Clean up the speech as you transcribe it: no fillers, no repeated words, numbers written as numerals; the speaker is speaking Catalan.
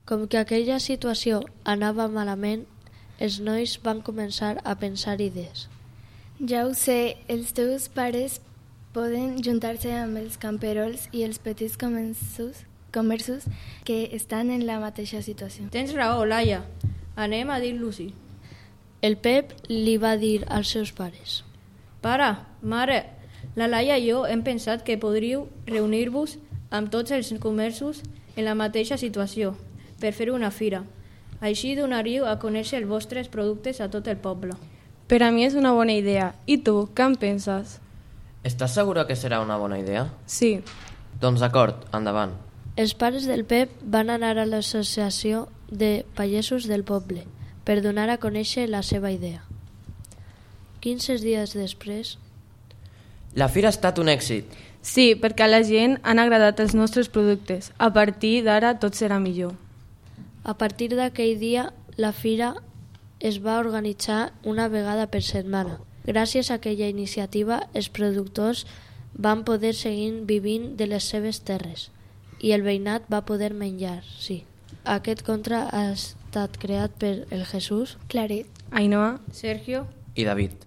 Com que aquella situació anava malament, els nois van començar a pensar idees. Ja ho sé, els teus pares poden juntar-se amb els camperols i els petits comerços que estan en la mateixa situació. Tens raó, Laia. Anem a dir-los-hi. El Pep li va dir als seus pares. Pare, mare, la Laia i jo hem pensat que podríeu reunir-vos amb tots els comerços en la mateixa situació per fer una fira. Així donaríeu a conèixer els vostres productes a tot el poble. Per a mi és una bona idea. I tu, què en penses? Estàs segura que serà una bona idea? Sí. Doncs d'acord, endavant. Els pares del Pep van anar a l'associació de pagesos del poble per donar a conèixer la seva idea. 15 dies després... La fira ha estat un èxit. Sí, perquè a la gent han agradat els nostres productes. A partir d'ara tot serà millor. A partir d'aquell dia, la fira es va organitzar una vegada per setmana. Gràcies a aquella iniciativa, els productors van poder seguir vivint de les seves terres i el veïnat va poder menjar, sí. Aquest conte ha estat creat per el Jesús, Claret, Ainhoa, Sergio I David.